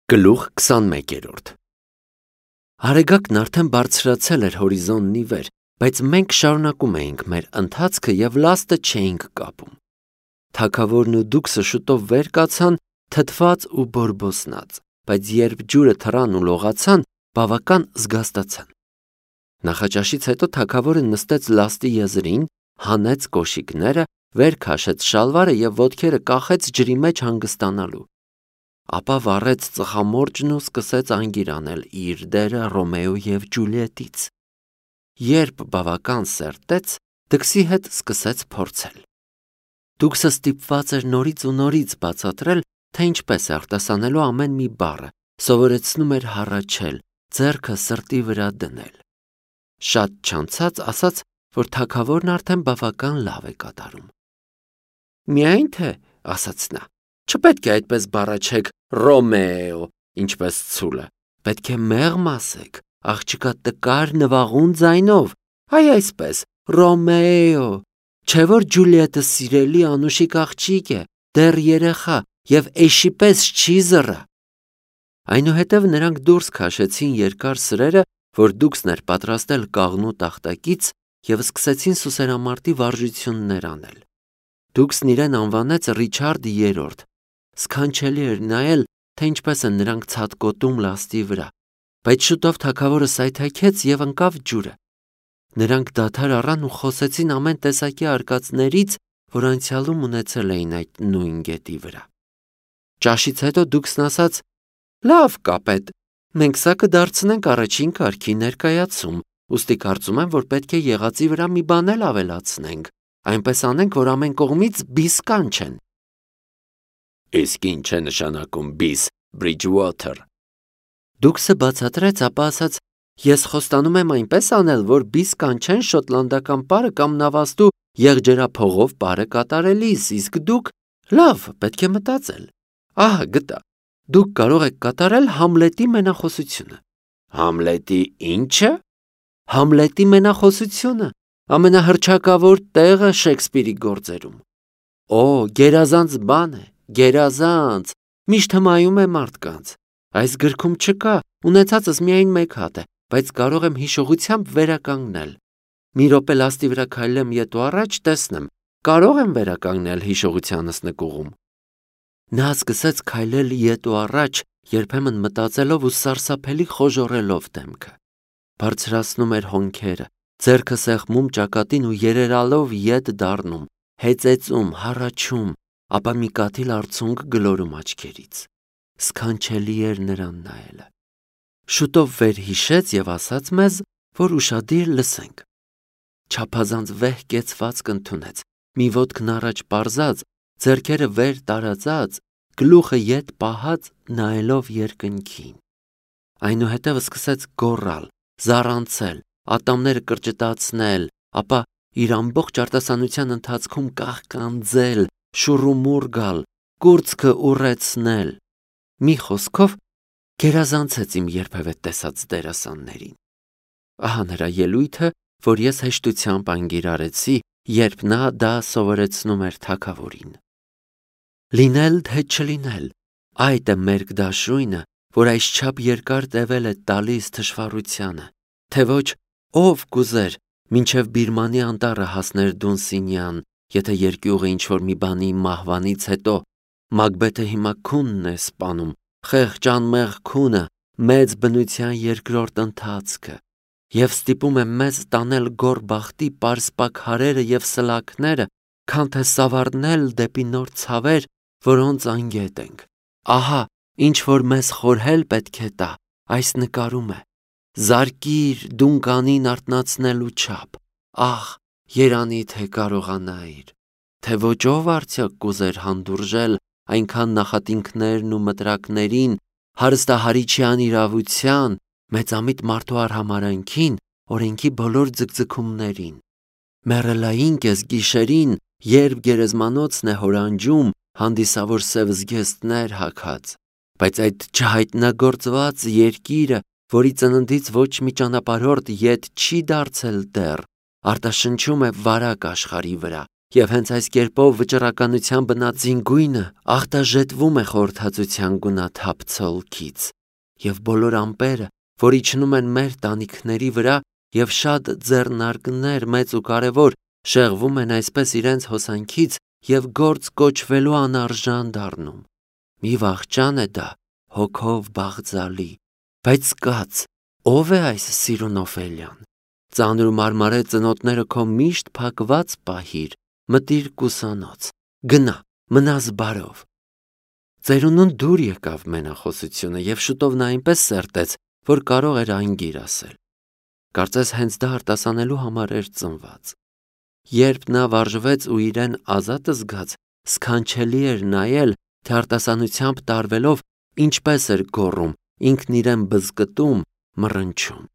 Գլուխ 21-րդ Արեգակն արդեն բարձրացել էր հորիզոնի վեր, բայց մենք շարունակում էինք մեր ընթացքը և լաստը չէինք կապում։ Թագավորն ու դուքսը շուտով վեր կացան, թթված ու բորբոսնած, բայց երբ ջուրը թռան ու լողացան, բավական զգաստացան։ Նախաճաշից հետո թագավորը նստեց լաստի եզրին, հանեց կոշիկները, վեր քաշեց շալվարը և ոտքերը կախեց ջրի մեջ հանգստանալու։ Ապա վառեց ծխամորճն ու սկսեց անգիր անել իր դերը Ռոմեո և Ջուլիետից։ Երբ բավական սերտեց, դքսի հետ սկսեց փորձել։ Դուքսը ստիպված էր նորից ու նորից բացատրել, թե ինչպես է արտասանելու ամեն մի բառը, սովորեցնում էր հառաչել, ձեռքը սրտի վրա դնել։ Շատ չանցած ասաց, որ թագավորն արդեն բավական լավ է կատարում։ «Միայն թե», ասաց նա, «չպետք է այդպես բառաչեք Ռոմեո, ինչպես ցուլը, պետք է մեղմ ասեք, աղջկա տկար նվաղուն ձայնով, այ այսպես, Ռոմեո, չէ որ Ջուլիետը սիրելի անուշիկ աղջիկ է, դեռ երեխա և էշի պես չի զռա»։ Այնուհետև նրանք դուրս քաշեցին երկար սրերը, որ դուքսն էր պատրաստել կաղնու տախտակից, և սկսեցին սուսերամարտի վարժություններ անել։ Դուքսն իրեն անվանեց Ռիչարդ III. Սքանչելի էր նայել, թե ինչպես են նրանք ցատկոտում լաստի վրա, բայց շուտով թագավորը սայթաքեց և ընկավ ջուրը։ Նրանք դադար առան ու խոսեցին ամեն տեսակի արկածներից, որ անցյալում ունեցել էին այդ նույն գետի վրա։ Ճաշից հետո դուքսն ասաց. «Լավ, կապետ, մենք սա կդարձնենք առաջին կարգի ներկայացում, ուստի կարծում եմ, որ պետք է եղածի վրա մի բան էլ ավելացնենք, այնպես անենք, որ ամեն կողմից բիս կանչեն»։ Իսկ ինչ է նշանակում բիս, Բրիջուոթեր։ Դուքսը բացատրեց, ապա ասաց. «Ես խոստանում եմ այնպես անել, որ բիս կանչեն շոտլանդական պարը կամ նավաստու եղջերափողով պարը կատարելիս, իսկ դուք, լավ, պետք է մտածել։ Ահա գտա, դուք կարող եք կատարել Համլետի մենախոսությունը»։ Համլետի ի՞նչը։ Համլետի մենախոսությունը, ամենահռչակավոր տեղը Շեքսպիրի գործերում։ Օ, գերազանց բան է, գերազանց, միշտ հմայում է մարդկանց։ Այս գրքում չկա, ունեցածս միայն մեկ հատ է, բայց կարող եմ հիշողությամբ վերականգնել։ Մի րոպե լաստի վրա քայլեմ ետ ու առաջ, տեսնեմ, կարող եմ վերականգնել հիշողությանս նկուղում։ Նա սկսեց քայլել ետ ու առաջ, երբեմն մտածելով ու սարսափելի խոժոռելով դեմքը։ Բարձրացնում էր հոնքերը, ձեռքը սեղմում ճակատին ու երերալով ետ դառնում, հեծեծում, հառաչում, ապա մի կաթիլ արցունք գլորում աչքերից։ Սքանչելի էր նրան նայելը։ Շուտով վերհիշեց և ասաց մեզ, որ ուշադիր լսենք։ Չափազանց վեհ կեցվածք ընդունեց, մի ոտքն առաջ պարզած, ձեռքերը վեր տարածած, գլուխը ետ պահած, նայելով երկնքին։ Այնուհետև սկսեց գոռալ, զառանցել, ատամները կրճտացնել, ապա իր ամբողջ արտասանության ընթացքում կաղկանձել, շուռումուռ գալ, կուրծքը ուռեցնել։ Մի խոսքով, գերազանցեց իմ երբևէ տեսած դերասաններին։ Ահա նրա ելույթը, որ ես հեշտությամբ անգիր արեցի, երբ նա դա սովորեցնում էր թագավորին։ Լինել թե չլինել, այդ է մերկ դաշույնը, որ այսչափ երկար տևել է տալիս թշվառությանը, թե ոչ ով կուզեր մինչև Բիրմանի անտառը հասներ Դունսինյան, եթե երկյուղը ինչ-որ մի բանի մահվանից հետո, Մակբեթը հիմա քունն է սպանում, խեղճ անմեղ քունը, մեծ բնության երկրորդ ընթացքը, և ստիպում է մեզ տանել գոռ բախտի պարսպակ հարերը և սլաքները, քան թե սավառնել դեպի նոր ցավեր, որոնց անգետ ենք։ Ահա, ինչ որ մեզ խորհել պետք է տա, այս նկարում է։ Զարկիր դունկանին արթնացնելու չափ, ահ, երանի թե կարողանայիր, թե ոչ ով արդյոք կուզեր հանդուրժել այնքան նախատինքներն ու մտրակներին, հարստահարիչի անիրավության, մեծամիտ մարդու արհամարհանքին, օրենքի բոլոր ձգձգումներին։ Մեռելային կես գիշերին, երբ գերեզմանոցն է հորանջում, հանդիսավոր սև զգեստներ հագած, բայց այդ չհայտնագործված երկիրը, որի ծննդից ոչ մի ճանապարհորդ ետ չի դարձել դեռ, արտաշնչում է վարակ աշխարհի վրա, Եվ հենց այս կերպով վճռականության բնածին գույնը ախտաժետվում է խորհրդածության գունաթափ ցոլքից, եւ բոլոր ամպերը, որ իջնում են մեր տանիքների վրա, եւ շատ ձեռնարկներ մեծ ու կարևոր շեղվում են այսպես իրենց հոսանքից եւ գործ կոչվելու անարժան դառնում։ Մի վախճան է դա, հոգով բաղձալի, բայց կաց, ով է այս սիրուն Օֆելիան։ Ծանր ու մարմարե ծնոտները քո միշտ փակված պահիր, մտիր կուսանոց, գնա, մնաս բարով։ Ծերունուն դուր եկավ մենախոսությունը եւ շուտով նա այնպես սերտեց, որ կարող էր անգիր ասել։ Կարծես հենց դա արտասանելու համար էր ծնված։ Երբ նա վարժվեց ու իրեն ազատ զգաց, սքանչելի էր նայել, թե արտասանությամբ տարվելով ինչպես էր գոռում, ինքն իրեն բզկտում, մռնչում։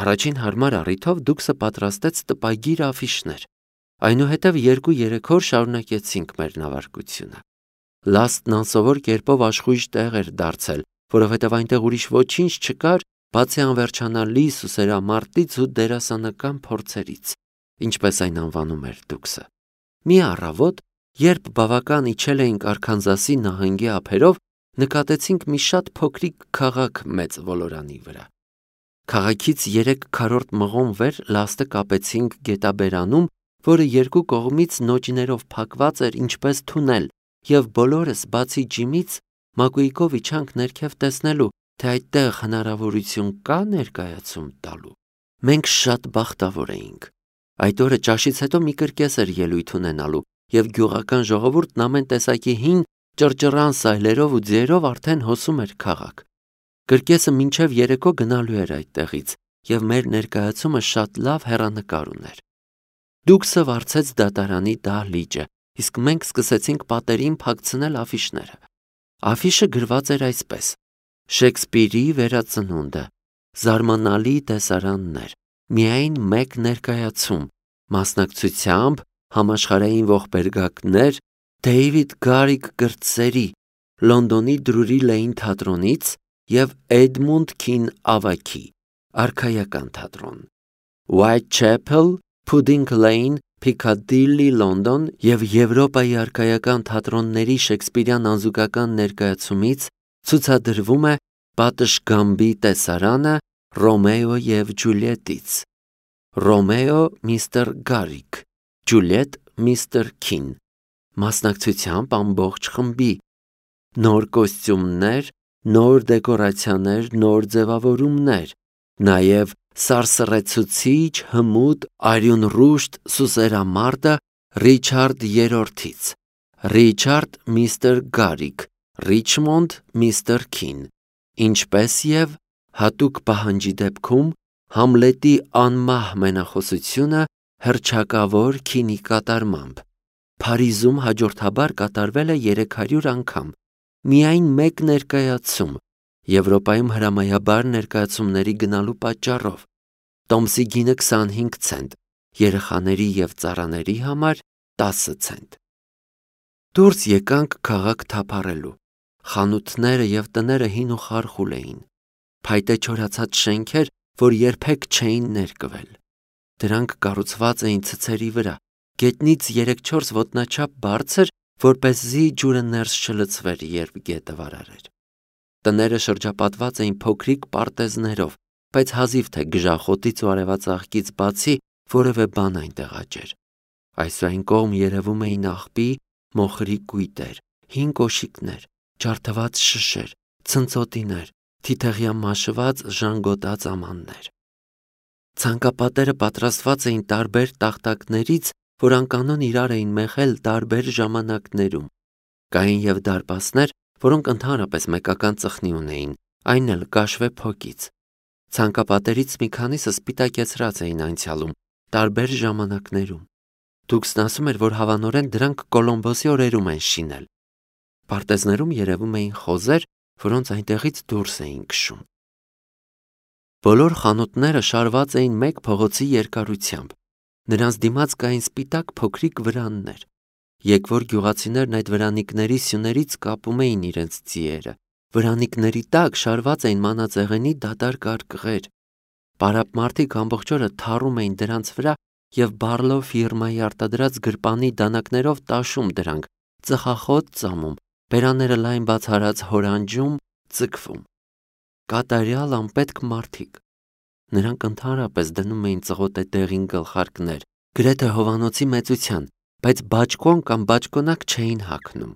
Առաջին հարմար առիթով Դուքսը պատրաստեց տպագիր աֆիշներ։ Այնուհետև 2-3 օր շարունակեցինք մեր նավարկությունը։ Լաստն անսովոր կերպով աշխույժ տեղ էր դարձել, որովհետև այնտեղ ուրիշ ոչինչ չկար, բացի անվերջանալի սուսերամարտից ու դերասանական փորձերից, ինչպես այն անվանում էր Դուքսը։ Մի առավոտ, երբ բավական իջել էինք Արքանզասի նահանգի ափերով, նկատեցինք մի շատ փոքրիկ քաղաք մեծ ոլորանի վրա։ Քաղաքից 3 քառորդ մղոն վեր լաստը կապեցինք գետաբերանում, որը երկու կողմից նոճիներով փակված էր ինչպես թունել, եւ բոլորս բացի Ջիմից Մակուիկով իջանք ներքև տեսնելու, թե այդտեղ հնարավորություն կա ներկայացում տալու։ Մենք շատ բախտավոր էինք։ Այդ օրը ճաշից հետո մի կրկես էր ելույթ ունենալու, եւ գյուղական ժողովուրդն ամեն տեսակի հին ճռճռան սայլերով ու ձիերով արդեն հոսում էր քաղաք։ Կրկեսը մինչև երեկո գնալու էր այդտեղից, եւ մեր ներկայացումը շատ լավ հեռանկար ուներ։ Դուքսը վարձեց դատարանի դահլիճը, իսկ մենք սկսեցինք պատերին փակցնել աֆիշները։ Աֆիշը գրված էր այսպես. Շեքսպիրի վերածնունդը, զարմանալի տեսարաններ, միայն մեկ ներկայացում, մասնակցությամբ համաշխարհային ողբերգակներ Դեյվիդ Գարիգ կրտսերի, Լոնդոնի Դրուրի Լեյն թատրոնից եւ Էդմունդ Քին ավագի, արքայական թատրոն, Whitechapel, Pudding Lane, Piccadilly, Լոնդոն եւ Եվրոպայի արքայական թատրոնների շեքսպիրյան անզուգական ներկայացումից ցուցադրվում է Պատշգամբի տեսարանը Ռոմեո եւ Ջուլիետից։ Ռոմեո Միսթր Գարիգ, Ջուլիետ Միսթր Քին, մասնակցությամբ ամբողջ խմբի, նոր կոստյումներ, նոր դեկորացիաներ, նոր ձևավորումներ, նաեւ սարսռեցուցիչ հմուտ արյունռուշտ սուսերամարտը Ռիչարդ III-ից, Ռիչարդ Միսթր Գարիգ, Ռիչմոնդ Միսթր Քին, ինչպես եւ հատուկ պահանջի դեպքում Համլետի անմահ մենախոսությունը հռչակավոր Քինի կատարմամբ։ Փարիզում հաջորդաբար կատարվել է 300 անգամ, միայն մեկ ներկայացում, Եվրոպայում հրամայաբար ներկայացումների գնալու պատճառով։ Տոմսի գինը 25 ցենտ, երեխաների եւ ծառաների համար 10 ցենտ։ Դուրս եկանք քաղաք թափառելու։ Խանութները եւ տները հին ու խարխուլ էին։ Փայտե չորացած շենքեր, որ երբեք չէին ներկվել։ Դրանք կառուցված էին ցցերի վրա, գետնից 3-4 ոտնաչափ բարձր, որպեսզի ջուրը ներս չլցվեր, երբ գետը վարար էր։ Տները շրջապատված էին փոքրիկ պարտեզներով, բայց հազիվ թե գժախոտից ու արևածաղկից բացի որևէ բան այնտեղ աճեր։ Այս ու այն կողմ երևում էին աղբի, մոխրի կույտեր, հին կոշիկներ, ջարդված շշեր, ցնցոտիներ, թիթեղյա մաշված ժանգոտած ամաններ։ Ցանկապատերը պատրաստված էին տարբեր տախտակներից, որ անկանոն իրար էին մեղել տարբեր ժամանակներում։ Կային եւ դարպասներ, որոնք ընդհանրապես մեկական ծխնի ունեին, այն էլ կաշվե փոկից։ Ցանկապատերից մի քանիսը սպիտակեցրած էին անցյալում, տարբեր ժամանակներում։ Դուքսն ասում էր, որ հավանորեն դրանք Կոլոմբոսի օրերում են շինել։ Պարտեզներում երևում էին խոզեր, որոնց այնտեղից դուրս էին քշում։ Բոլոր խանութները շարված էին մեկ փողոցի երկարությամբ։ Նրանց դիմաց կային սպիտակ փոքրիկ վրաններ։ Եկվոր գյուղացիներն այդ վրանիկների սյուներից կապում էին իրենց ձիերը։ Վրանիկների տակ շարված էին մանածեղենի դատարկ արկղեր։ Պարապ մարդիկ ամբողջ օրը թառում էին դրանց վրա եւ Բարլո ֆիրմայի արտադրած գրպանի դանակներով տաշում դրանք, ծխախոտ ծամում, բերաները լայն բացարած հորանջում, ձգվում։ Կատարյալ անպետք մարդիկ։ Նրանք ընդհանրապես դնում էին ծղոտե դեղին գլխարկներ, գրեթե Հովանոցի մեծության, բայց բաճկոն կամ բաճկոնակ չէին հագնում։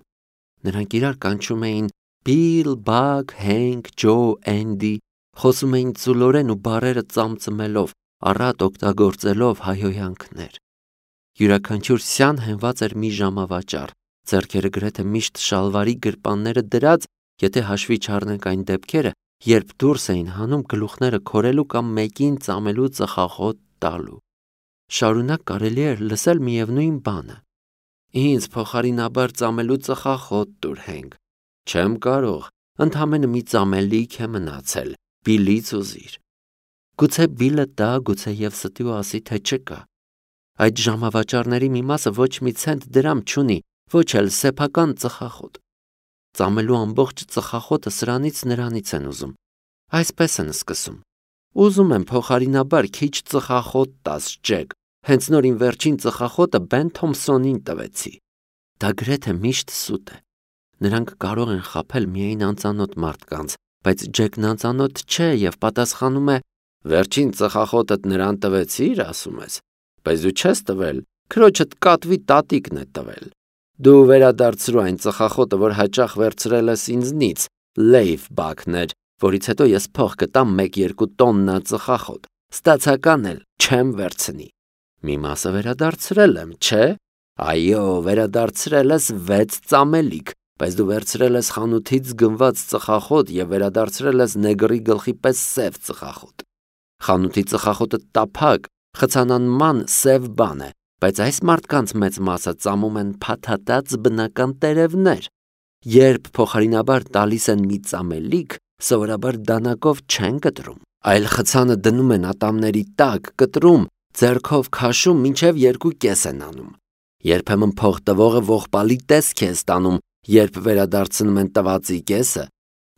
Նրանք իրար կանչում էին Բիլ, Բագ, Հենք, Ջո, Էնդի, խոսում էին ծուլորեն ու բառերը ծամծմելով, առատ օգտագործելով հայհոյանքներ։ Յուրաքանչյուր սյան հենված էր մի ժամավաճառ, ձեռքերը գրեթե միշտ շալվարի գրպանները դրած, եթե հաշվի չառնենք այն դեպքերը, երբ դուրս էին հանում գլուխները քորելու կամ մեկին ծամելու ծխախոտ տալու։ Շարունակ կարելի էր լսել միևնույն բանը. Ինձ փոխարինաբար ծամելու ծխախոտ տուր, Հենք։ Չեմ կարող, ընդամենը մի ծամելիք է մնացել, Բիլից ուզիր։ Գուցե Բիլը տա, գուցե եւ ստի ու ասի, թե չկա։ Այդ ժամավաճառների մի մասը ոչ մի ցենտ դրամ չունի, ոչ էլ սեփական ծխախոտ։ Ծամելու ամբողջ ծխախոտը սրանից նրանից են ուզում։ Այսպես են սկսում. Ուզում եմ փոխարինաբար քիչ ծխախոտ տաս, Ջեք, հենց նոր իմ վերջին ծխախոտը Բեն Թոմփսոնին տվեցի։ Դա գրեթե միշտ սուտ է։ Նրանք կարող են խաբել միայն անծանոթ մարդկանց, բայց Ջեկն անծանոթ չէ եւ պատասխանում է. Վերջին ծխախոտդ նրան տվեցիր, ասում ես, բայց դու չես տվել, քրոջդ կատվի տատիկն է տվել։ Դու վերադարձրու այն ծխախոտը, որ հաճախ վերցրել ես ինձնից, Լեյվ Բաքներ, որից հետո ես փող կտամ 1-2 տոննա ծխախոտ, ստացական էլ չեմ վերցնի։ Մի մասը վերադարձրել եմ, չէ։ Այո, վերադարձրել ես 6 ծամելիք, բայց դու վերցրել ես խանութից գնված ծխախոտ եւ վերադարձրել ես նեգրի գլխի պես սև ծխախոտ։ Խանութի ծխախոտը տափակ, խցանանման սև բան է, բայց այս մարդկանց մեծ մասը ծամում են փաթաթած բնական տերևներ։ Երբ փոխարինաբար տալիս են մի ծամելիք, սովորաբար դանակով չեն կտրում, այլ խցանը դնում են ատամների տակ, կտրում, ձեռքով քաշում, մինչև 2 կես են անում։ Երբեմն փող տվողը ողբալի տեսք է ստանում, երբ վերադարձնում են տվածի կեսը,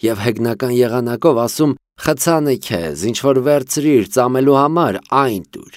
եւ հեգնական եղանակով ասում. խցանը քեզ, ինչ որ վերցրիր ծամելու համար, այն տուր։